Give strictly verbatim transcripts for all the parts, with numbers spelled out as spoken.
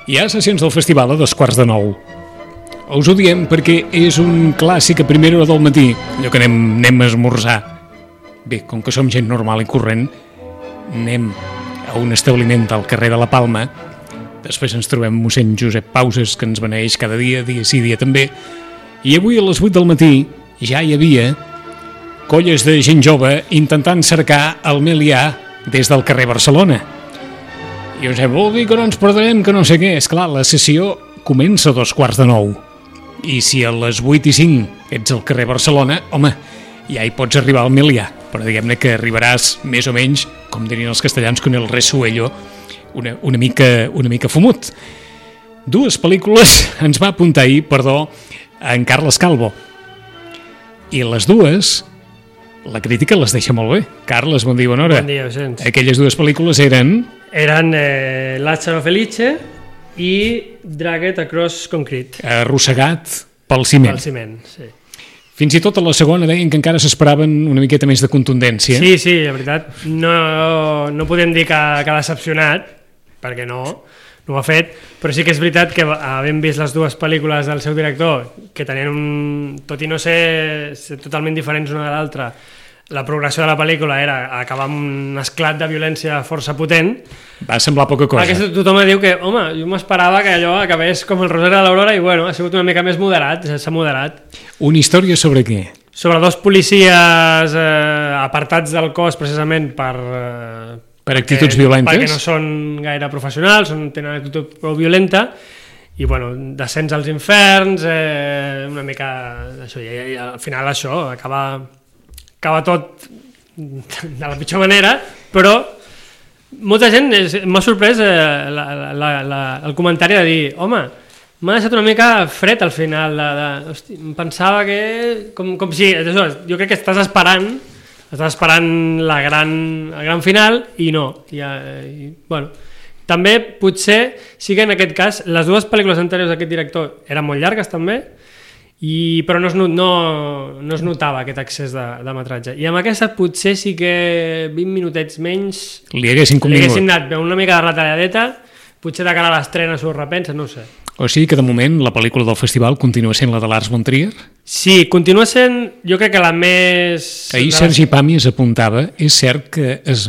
Hi ha sessions del festival a dos quarts de nou. Us ho diem perquè és un clàssic a primera hora del matí, allò que anem, anem a esmorzar. Bé, com que som gent normal i corrent, anem a un establiment al carrer de la Palma, després ens trobem mossèn Josep Pauses, que ens beneeix cada dia, dia sí, dia també, i avui a les vuit del matí ja hi havia colles de gent jove intentant cercar el Melià des del carrer Barcelona. I us he vol dir que no ens perdrem, que no sé què. Esclar, la sessió comença a dos quarts de nou. I si a les vuit i cinc ets al carrer Barcelona, home, ja hi pots arribar al Melià. Però diguem-ne que arribaràs més o menys, com dirien els castellans, con el resuello, una, una, mica, una mica fumut. Dues pel·lícules ens va apuntar ahir, perdó, en Carles Calvo. I les dues, la crítica les deixa molt bé. Carles, bon dia, bona hora. Bon dia, Vicenç. Aquelles dues pel·lícules eren... Eren eh, Lázaro Felice i Dragged Across Concrete. Arrossegat pel ciment. Pel ciment, sí. Fins i tot a la segona deien que encara s'esperaven una miqueta més de contundència. Sí, sí, la veritat. No, no podem dir que, que ha decepcionat, perquè no, no ho ha fet, però sí que és veritat que havent vist les dues pel·lícules del seu director, que tenien un... tot i no ser, ser totalment diferents una de l'altra, la progressió de la pel·lícula era acabar amb un esclat de violència força potent. Va semblar poca cosa. Aquesta, tothom diu que, home, jo m'esperava que allò acabés com el Rosari de l'Aurora i bueno, ha sigut una mica més moderat, s'ha moderat. Una història sobre què? Sobre dos policies eh, apartats del cos precisament per... Eh, per actituds perquè, violentes? Perquè no són gaire professionals, són, tenen una actitud prou violenta i bueno, descens als inferns, eh, una mica això, i, i al final això acaba... acaba tot de la pitjor manera, però molta gent m'ha sorprès eh, la, la, la, el comentari de dir, home, m'ha deixat una mica fred al final, de, de, hosti, em pensava que, com, com si, això, jo crec que estàs esperant, estàs esperant la gran, el gran final i no, i, i, bueno, també potser sí que en aquest cas les dues pel·lícules anteriors d'aquest director eren molt llargues també, I, però no es, no, no es notava aquest excés de, de metratge i amb aquesta potser sí que vint minutets menys li haguessin li haguessin anat una mica de retalladeta, potser de cara a l'estrena s'ho repensa, no ho sé. O sigui que de moment la pel·lícula del festival continua sent la de Lars von Trier? Sí, continua sent jo crec que la més... Ahir Sergi Pàmies apuntava, és cert que es,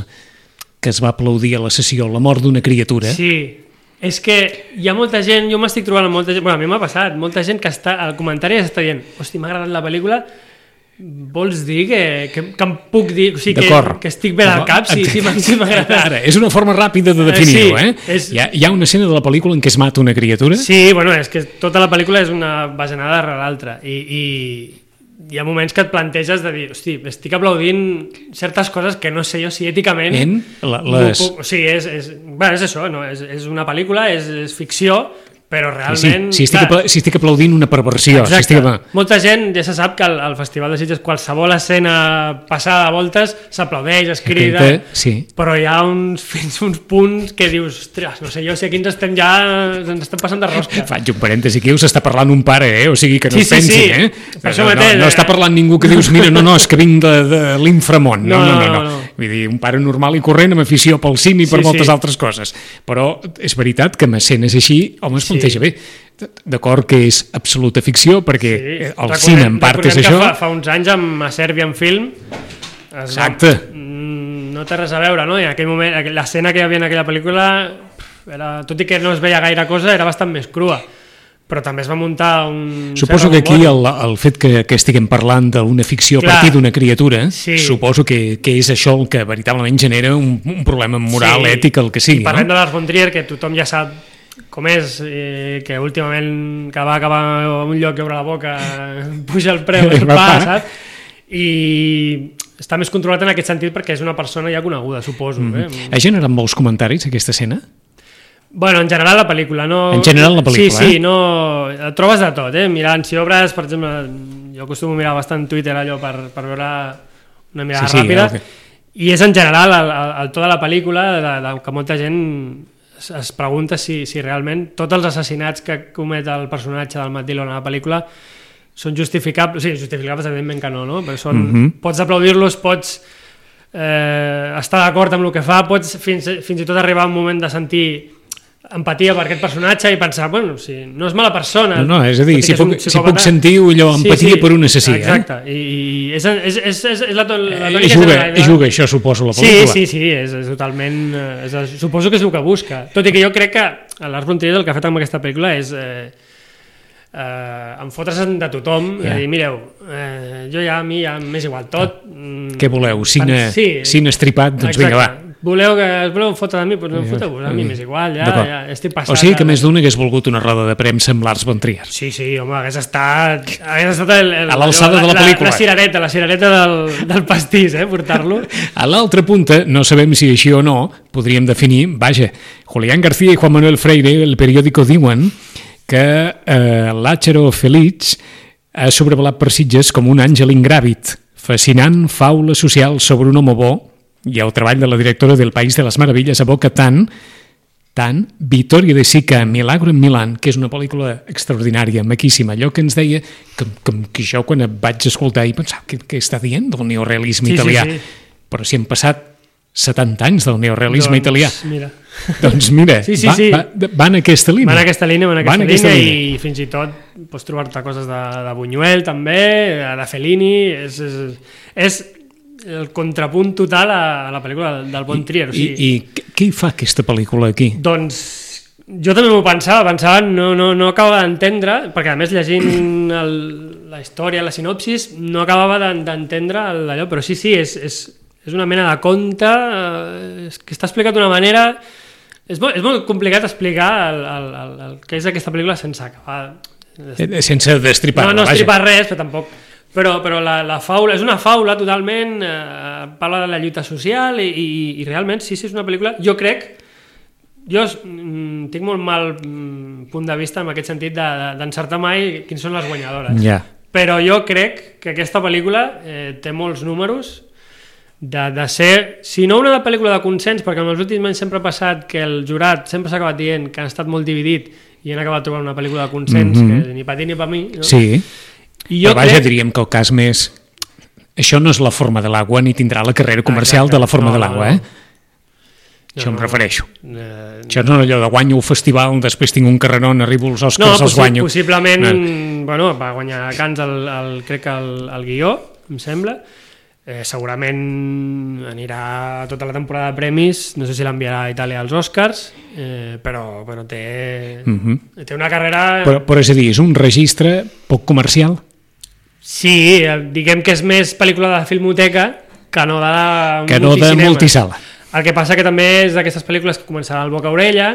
que es va aplaudir a la sessió la mort d'una criatura? Sí, és que hi ha molta gent, jo m'estic trobant amb molta gent, bueno, a mi m'ha passat, molta gent que està, al comentari està dient, hosti, m'ha agradat la pel·lícula, vols dir que, que, que em puc dir, o sigui, que, que estic bé al cap, sí, sí, sí m'ha agradat. Ara, és una forma ràpida de definir-ho, sí, eh? És... Hi ha, hi ha una escena de la pel·lícula en què es mata una criatura? Sí, bueno, és que tota la pel·lícula és una bajanada darrere l'altra, i... i hi ha moments que et planteges de dir, hosti, estic aplaudint certes coses que no sé jo si èticament... En la, les... O sigui, és, és, bueno, és això, no? és, és una pel·lícula, és, és ficció, però realment... Sí, sí, si, estic apla si estic aplaudint una perversió. Exacte. Si estic... Molta gent ja se sap que al, al Festival de Sitges qualsevol escena passada de voltes s'aplaudeix, es crida, sí. Però hi ha uns, fins uns punts que dius, ostres, no sé jo si aquí ens estem ja ens estem passant de rosca. Faig un parèntesi aquí, us està parlant un pare, eh? O sigui que no sí, es pensi, sí, sí. eh? Per això no, mateix, no, no està parlant ningú que dius, mira, no, no, és que vinc de, de l'inframont. No no no, no, no, no. Vull dir, un pare normal i corrent amb afició pel cim i per sí, moltes sí. altres coses. Però és veritat que amb escenes així, home, es planteja sí. bé. D'acord que és absoluta ficció perquè sí. el recordem, cine en part és això. Fa, fa uns anys amb a Serbian Film exacte va, no té res a veure, no? I en aquell moment l'escena que hi havia en aquella pel·lícula era, tot i que no es veia gaire cosa, era bastant més crua, però també es va muntar un... Suposo que aquí el, el fet que, que estiguem parlant d'una ficció Clar, a partir d'una criatura, sí. suposo que, que és això el que veritablement genera un, un problema moral, sí. ètic, el que sigui. I parlem no? de Lars von Trier, que tothom ja sap com és, eh, que últimament que va acabar a un lloc i obre la boca puja el preu del pa, saps? I està més controlat en aquest sentit perquè és una persona ja coneguda, suposo. Mm -hmm. eh? Ha generat molts comentaris aquesta escena? Bueno, en general la pel·lícula, no... En general la pel·lícula, sí, sí, eh? no... Et trobes de tot, eh? Mirant, si obres, per exemple, jo acostumo a mirar bastant Twitter allò per, per veure una mirada sí, sí, ràpida, okay. I és en general el, el, el to de la pel·lícula de, de, que molta gent es, es pregunta si, si realment tots els assassinats que comet el personatge del Matt Dillon a la pel·lícula són justificables, sí, justificables evidentment que no, no? Però són, mm -hmm. pots aplaudir-los, pots eh, estar d'acord amb el que fa, pots fins, fins i tot arribar a un moment de sentir empatia per aquest personatge i pensar, bueno, si no és mala persona... No, no, és a dir, si puc, si puc sentir allò, empatia sí, sí, per un assassí. Exacte, eh? i és, és, és, és, és la, la tònica... Juga, de... juga, això suposo, la pel·lícula. Sí, sí, sí, és, és totalment... És, suposo que és el que busca. Tot i que jo crec que Lars von Trier el que ha fet amb aquesta pel·lícula és... Eh, eh, em fotre's de tothom, yeah. I dir, mireu, eh, jo ja a mi ja m'és igual tot. Ah. Què voleu? Cine, sí, cine estripat? Doncs vinga, va. Voleu que es voleu fotre de mi? Doncs no foteu-vos, a mi m'és igual, ja, ja estic passat. O sigui que més d'un hagués volgut una roda de premsa amb Lars von Trier. Sí, sí, home, hagués estat, hagués estat el, el, a l'alçada de la pel·lícula. La, la cirereta, la cirereta del, del pastís, eh, portar-lo. A l'altra punta, no sabem si així o no, podríem definir, vaja, Julián García i Juan Manuel Freire, el periòdico diuen que eh, l'Àchero Félix ha sobrevolat per Sitges com un àngel ingràvid, fascinant faula social sobre un home bo, i el treball de la directora del País de les Meravilles aboca tant, tant, Vittoria de Sica, Milagro en Milán, que és una pel·lícula extraordinària, maquíssima, allò que ens deia, que, que, que jo quan et vaig escoltar i pensava, què, què està dient del neorealisme sí, italià? Sí, sí. Però si han passat setanta anys del neorealisme doncs, italià. Mira. Doncs mira, sí, sí, va, sí. Va, va en aquesta línia. Va en aquesta línia, va en aquesta, va en aquesta línia, línia, i fins i tot pots trobar-te coses de, de Buñuel també, de Fellini, és... és, és el contrapunt total a la pel·lícula del Von Trier. O sigui, I, i què hi fa aquesta pel·lícula aquí? Doncs jo també m'ho pensava, pensava, no, no, no acabava d'entendre, perquè a més llegint el, la història, la sinopsis, no acabava d'entendre allò, però sí, sí, és, és, és una mena de conte eh, que està explicat d'una manera... És molt, és molt complicat explicar el, el, el, el que és aquesta pel·lícula sense acabar... Sense destripar. No, no destripar res, però tampoc... Però, però la, la faula, és una faula totalment, eh, parla de la lluita social i, i, i realment, sí, sí, és una pel·lícula, jo crec, jo mm, tinc molt mal mm, punt de vista en aquest sentit d'encertar de, mai quins són les guanyadores, yeah. Però jo crec que aquesta pel·lícula eh, té molts números de, de ser, si no una pel·lícula de consens, perquè en els últims anys sempre ha passat que el jurat sempre s'ha acabat dient que han estat molt dividit i han acabat trobant una pel·lícula de consens, mm-hmm. que ni per ti ni per mi, no? Sí. I jo però vaja, crec... diríem que el cas més... Això no és la forma de l'aigua ni tindrà la carrera comercial Exacte. De la forma no, de l'aigua, no, no. eh? Això no, em refereixo. No, no. Això no és allò de guanyo el festival, després tinc un carrerón, arribo als Oscars, no, els guanyo. Possiblement, no. Bueno, va guanyar Cans el, el, crec que el, el guió, em sembla. Eh, segurament anirà tota la temporada de premis, no sé si l'enviarà a Itàlia als Oscars, eh, però, però té, uh-huh. té una carrera... Però, però és a dir, és un registre poc comercial? Sí, diguem que és més pel·lícula de filmoteca que no de, que no de multisala. El que passa que també és d'aquestes pel·lícules que començaran al boca-orella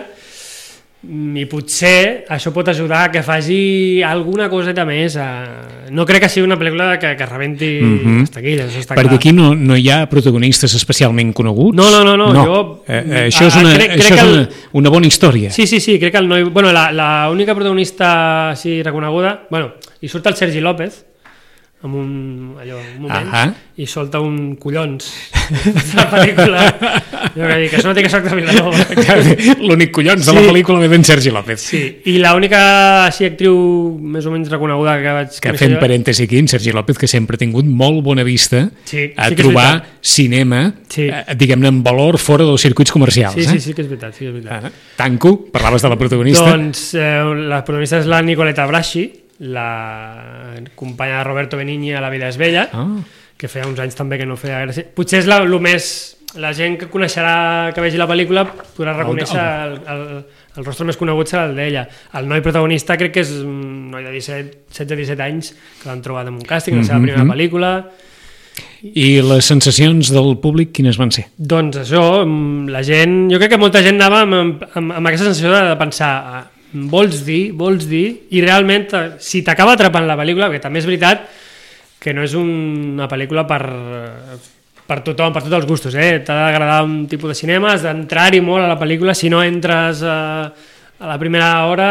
i potser això pot ajudar a que faci alguna coseta més. A... No crec que sigui una pel·lícula que, que rebenti mm-hmm. les taquilles, això està perquè clar. Aquí no, no hi ha protagonistes especialment coneguts? No, no, no. no. no. Jo, eh, eh, això és, una, crec, això crec és una, el... una bona història. Sí, sí, sí, crec que el noi... Bueno, la, la única protagonista així reconeguda... Bueno, hi surt el Sergi López, en un, allò, un moment, uh-huh. i solta un collons de la pel·lícula. Jo que dic, que això no té que soc de Vilanova. L'únic collons sí. de la pel·lícula ve d'en Sergi López. Sí, i l'única així actriu més o menys reconeguda que vaig... Que fent parèntesi aquí, en Sergi López, que sempre ha tingut molt bona vista sí, a sí trobar cinema, sí. eh, diguem-ne, en valor fora dels circuits comercials. Sí, eh? sí, sí que és veritat. Sí que és veritat. Ah, Tanco, parlaves de la protagonista. Doncs eh, la protagonista és la Nicoletta Braschi, la companya de Roberto Benigni a La vida és bella, oh. que feia uns anys també que no feia gràcia. Potser és la, lo més... La gent que coneixerà, que vegi la pel·lícula, podrà reconèixer el, el, el rostre més conegut serà el d'ella. El noi protagonista crec que és un noi de disset, setze disset anys que l'han trobat en un càsting, mm-hmm. la seva primera pel·lícula. I les sensacions del públic quines van ser? Doncs això, la gent... Jo crec que molta gent anava amb, amb, amb aquesta sensació de pensar... vols dir, vols dir, i realment si t'acaba atrapant la pel·lícula, perquè també és veritat que no és una pel·lícula per, per tothom, per tots els gustos, eh? T'ha d'agradar un tipus de cinema, has d'entrar-hi molt a la pel·lícula, si no entres a, a la primera hora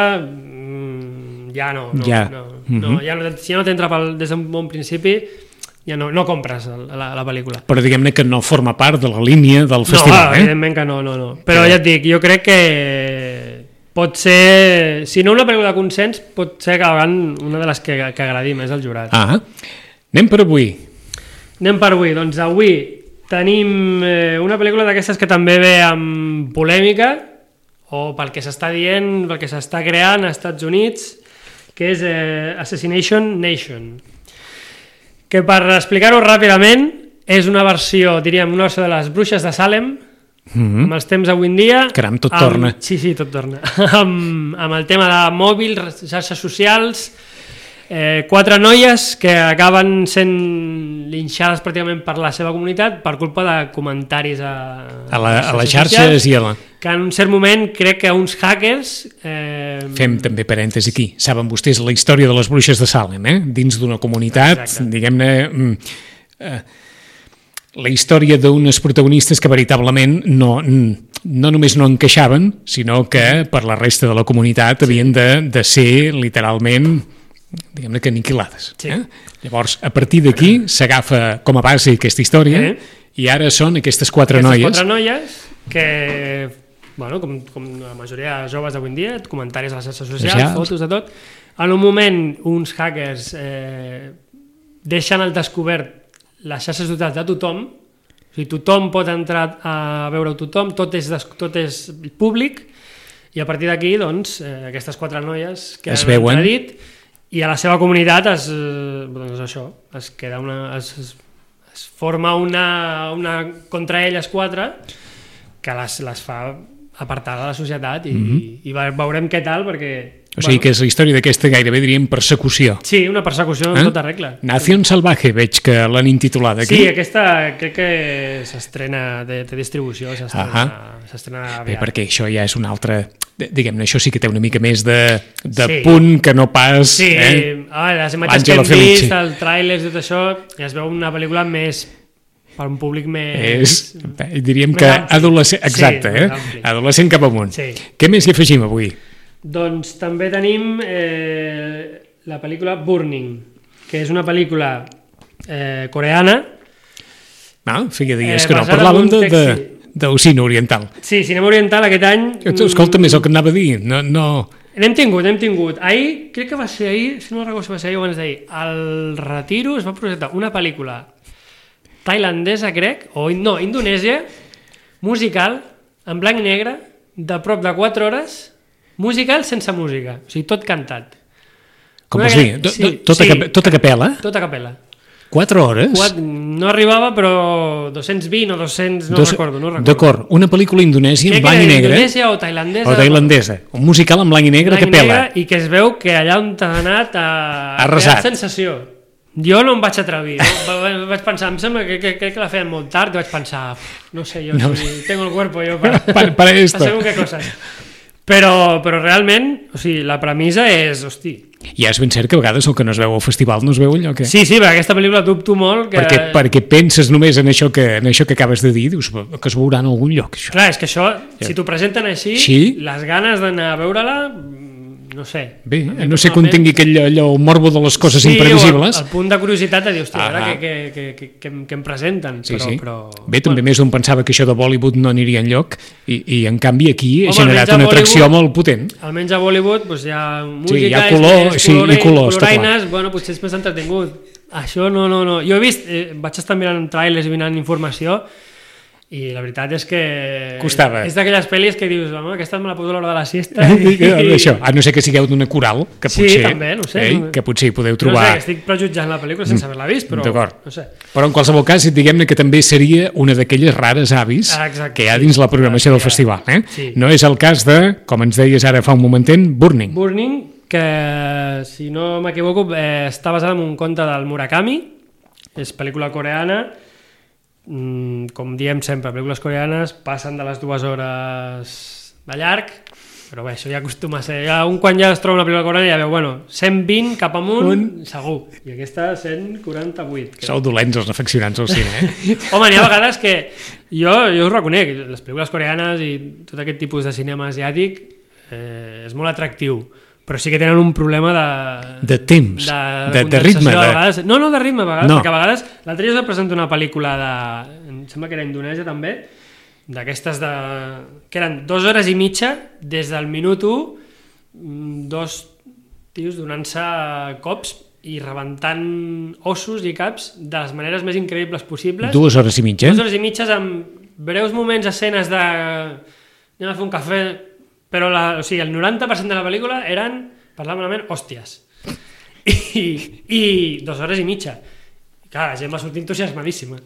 ja no, no, ja. no, no, no ja no, si no t'entra des d'un bon principi ja no, no compres la, la pel·lícula. Però diguem-ne que no forma part de la línia del festival, no, eh? Evidentment que no, no, no. Però ja et dic, jo crec que pot ser, si no una pel·lícula de consens, pot ser que una de les que, que agradi més al jurat. Ah, anem per avui. Anem per avui. Doncs avui tenim eh, una pel·lícula d'aquestes que també ve amb polèmica, o pel que s'està dient, pel que s'està creant als Estats Units, que és eh, Assassination Nation. Que per explicar-ho ràpidament, és una versió, diríem, una versió de les Bruixes de Salem, mm-hmm. amb els temps d'avui en dia... Caram, tot amb, torna. Sí, sí, tot torna. amb, amb el tema de mòbil, xarxes socials, eh, quatre noies que acaben sent linxades pràcticament per la seva comunitat per culpa de comentaris a, a, la, a les xarxes socials, i a la... que en un cert moment crec que uns hackers... Eh... Fem també parèntesi aquí. Saben vostès la història de les Bruixes de Salem, eh? Dins d'una comunitat, exacte. Diguem-ne... Eh, la història d'unes protagonistes que veritablement no, no només no encaixaven, sinó que per la resta de la comunitat havien de, de ser literalment, diguem-ne que aniquilades. Sí. Eh? Llavors, a partir d'aquí s'agafa com a base aquesta història eh? I ara són aquestes quatre aquestes noies. quatre noies que, bueno, com, com la majoria de joves d'avui en dia, comentaris a les xarxes socials, socials, fotos de tot, en un moment uns hackers eh, deixen al descobert les xarxes socials de tothom, o sigui, tothom pot entrar a veure tothom, tot és, tot és públic, i a partir d'aquí, doncs, eh, aquestes quatre noies que es han veuen entradit, i a la seva comunitat es, eh, doncs això, es queda una... Es, es, es forma una, una contra elles quatre que les, les fa apartar de la societat i, mm-hmm. i, i veurem què tal, perquè... O sigui bueno, que és la història d'aquesta gairebé diríem persecució. Sí, una persecució en eh? tota regla. Nación Salvaje, veig que l'han intitulat aquí. Sí, aquesta crec que s'estrena de, de distribució, s'estrena aviat. Bé, perquè això ja és un altre... Diguem-ne, això sí que té una mica més de, de sí. punt que no pas... Sí, eh? ah, les imatges que hem vist, el tràiler i tot això, ja es veu una pel·lícula més... per un públic més... És, diríem més que ampli. Adolescent... Exacte, sí, eh? Adolescent cap amunt. Sí. Què més hi afegim avui? Doncs també tenim eh, la pel·lícula Burning, que és una pel·lícula eh, coreana. Ah, feia dies eh, que no parlàvem de, de, del cine oriental. Sí, cinema oriental aquest any... Escolta, més el que anava a dir, no... no... N'hem tingut, n'hem tingut. Ahir, crec que va ser ahir, si no recordo si va ser ahir o abans d'ahir, al Retiro es va projectar una pel·lícula tailandesa, crec, o no, indonèsia, musical, en blanc i negre, de prop de quatre hores... musical sense música, o sigui, tot cantat. Com vols dir? Sí, tota, sí, tota capella? Tota capella. Quatre hores? Quatre, no arribava, però dos-cents vint o dos-cents, no Dos, recordo. No recordo. D'acord, una pel·lícula indonèsia en blanc i negre. Indonèsia o tailandesa. O tailandesa, un musical en blanc i negre a capella. I que es veu que allà on t'ha anat a... Arrasat. Sensació. Jo no em vaig atrevir, no? Vaig pensar, em sembla que, que, que, que la feien molt tard, i vaig pensar, no sé, jo, no. Si tengo el cuerpo yo para, para, para esto. Para según qué cosas. Però, però realment, o sigui, la premissa és, hosti... Ja és ben cert que a vegades el que no es veu al festival no es veu allò que... Sí, sí, perquè aquesta pel·lícula dubto molt que... Perquè, perquè penses només en això, que, en això que acabes de dir, dius que es veurà en algun lloc, això. Clar, és que això, si t'ho presenten així, sí? Les ganes d'anar a veure-la... no sé. Bé, no sé quan tingui aquell allò, el morbo de les coses sí, imprevisibles. Sí, el, el punt de curiositat de dir, hòstia, ah, ara que, que, que, que, que em presenten. Sí, però, sí. Però, bé, també bueno. Més d'un pensava que això de Bollywood no aniria enlloc i, i en canvi aquí Home, ha generat una atracció molt potent. Almenys a Bollywood doncs, hi ha música, sí, hi ha color, és, és sí, color, i colors, coloraines, bueno, potser és més entretingut. Això no, no, no. Jo he vist, eh, vaig estar mirant trailers i mirant informació i la veritat és que costava. És d'aquelles pel·lis que dius, home, aquesta me la poso a l'hora de la siesta i... Això, a no ser que sigueu d'una coral que potser, sí, també, no sé, eh, que potser hi podeu trobar... No sé, estic prejutjant la pel·lícula sense haver-la vist, però no sé. Però en qualsevol cas, diguem-ne que també seria una d'aquelles rares avis Exacte, que hi ha dins la programació sí, del festival. Eh? Sí. No és el cas de, com ens deies ara fa un momentet, Burning. Burning, que si no m'equivoco eh, està basada en un conte del Murakami, és pel·lícula coreana. Mm, com diem sempre, pel·lícules coreanes passen de les dues hores de llarg, però bé, això ja acostuma a ser, ja un quan ja es troba una pel·lícula coreana ja veu, bueno, cent vint cap amunt un... segur, i aquesta cent quaranta-vuit que... Sou dolents els afeccionats al cine, eh? Home, n'hi ha vegades que jo, jo us reconec, les pel·lícules coreanes i tot aquest tipus de cinema asiàtic eh, és molt atractiu, però sí que tenen un problema de... De temps, de, de, de ritme. De... Vegades. No, no de ritme, a vegades, no. Perquè a vegades... L'altre dia us presento una pel·lícula de... Em sembla que era indonèsia també, d'aquestes de... que eren dues hores i mitja, des del minut u, dos tios donant-se cops i rebentant ossos i caps de les maneres més increïbles possibles. Dues hores i mitja? Dues hores i mitges amb breus moments, escenes de... anem a fer un cafè... però la, o sigui, el noranta per cent de la pel·lícula eren, parlant malament, hòsties. I, i dues hores i mitja. I clar, la gent va sortir entusiasmadíssima.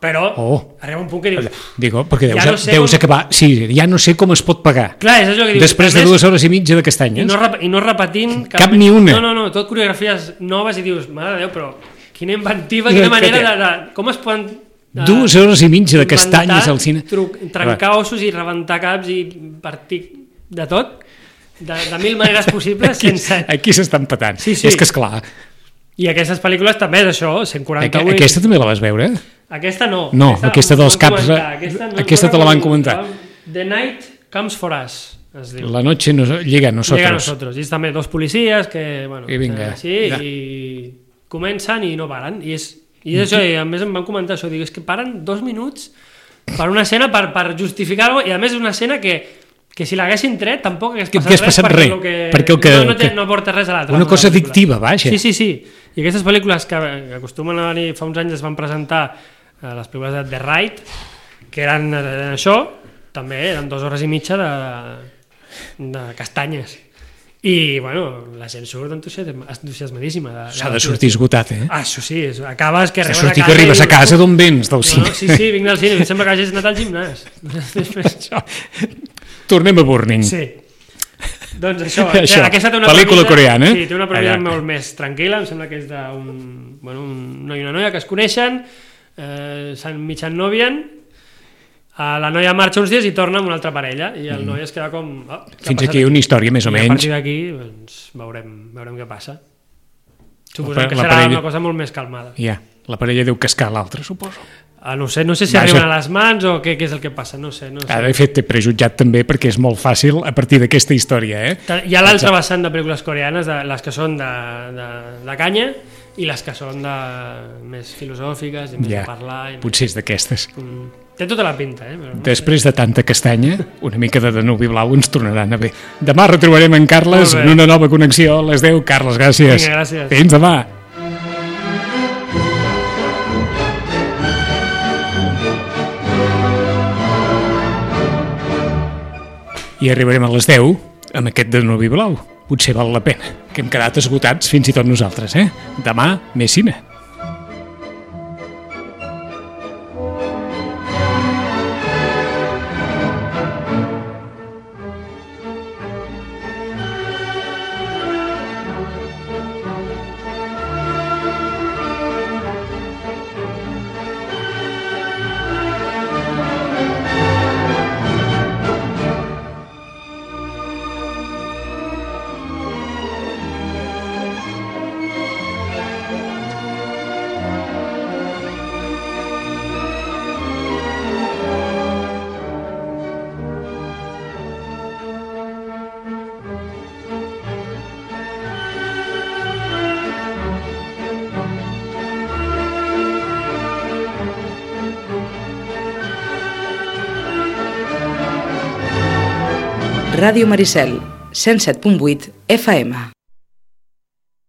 Però oh. arriba un punt que dius... Digo, perquè deus, ja no sé deus com... acabar... Sí, ja no sé com es pot pagar. Clar, és això que dius. Després de dues hores i mitja de castanyes. I no, rep, i no repetint... Cap, cap ni una. No, no, no, tot coreografies noves i dius, mare de Déu, però quina inventiva, quina manera de... de com es poden... De, dues hores i mitja de castanyes al cine. Truc, trencar ossos i rebentar caps i partir de tot, de, de mil maneres possibles. Aquí, sense... aquí s'estan patant. Sí, sí. És que esclar. I aquestes pel·lícules també és això, cent quaranta-vuit. Aquesta també la vas veure? Aquesta no. No, aquesta, aquesta dels caps... Aquesta, no, aquesta no te la van comentar. The Night Comes For Us, es diu. La noche nos, llega a nosotros. Llega a nosotros. I és també dos policies que, bueno, I vinga. així, ja. I comencen i no paren. I és I és això, i a més em van comentar això, dic, és que paren dos minuts per una escena per, per justificar-ho, i a més és una escena que, que si l'haguessin tret tampoc hagués passat, res, passat perquè, res, que, perquè el que, no, no, té, que, no aporta res a l'altre. Una cosa addictiva, vaja. Sí, sí, sí. I aquestes pel·lícules que, que acostumen a venir, fa uns anys es van presentar a les pel·lícules de The Ride, que eren eh, això, també eren dues hores i mitja de, de castanyes. I, bueno, la gent surt entusiasmadíssima. S'ha de sortir esgotat, eh? Ah, això sí, acabes que arribes a casa... que arribes a casa d'on vens, del cine. No, sí, sí, vinc del cine, em sembla que hagis anat al gimnàs. Tornem a Burning. Sí. Doncs això, això. Aquesta té una pel·lícula premissa, coreana. Sí, té una premissa molt més tranquil·la, em sembla que és d'un bueno, un noi i una noia que es coneixen, eh, s'han mig ennòvien, la noia marxa uns dies i torna amb una altra parella i el mm. noi es queda com... Oh, fins aquí una història més o I menys. a partir d'aquí doncs, veurem, veurem què passa. Suposem que serà parella... una cosa molt més calmada. Ja, la parella deu cascar l'altra, suposo. Ah, no sé, no sé si Vaja. arriben a les mans o què, què és el que passa, no sé. No sé. Ah, de fet, t'he prejutjat també perquè és molt fàcil a partir d'aquesta història, eh? Hi ha l'altra vessant de pel·lícules coreanes, de, les que són de, de, de canya i les que són de, més filosòfiques i més ja, de parlar. I potser més... és d'aquestes. Mm. Té tota la pinta, eh? Però no Després sé. de tanta castanya, una mica de Danubi Blau ens tornaran a bé. Demà retrobarem en Carles en una nova connexió a les deu. Carles, gràcies. Vinga, gràcies. Fins demà. I arribarem a les deu amb aquest Danubi Blau. Potser val la pena, que hem quedat esgotats fins i tot nosaltres, eh? Demà, més cine. Ràdio Maricel, cent set punt vuit F M.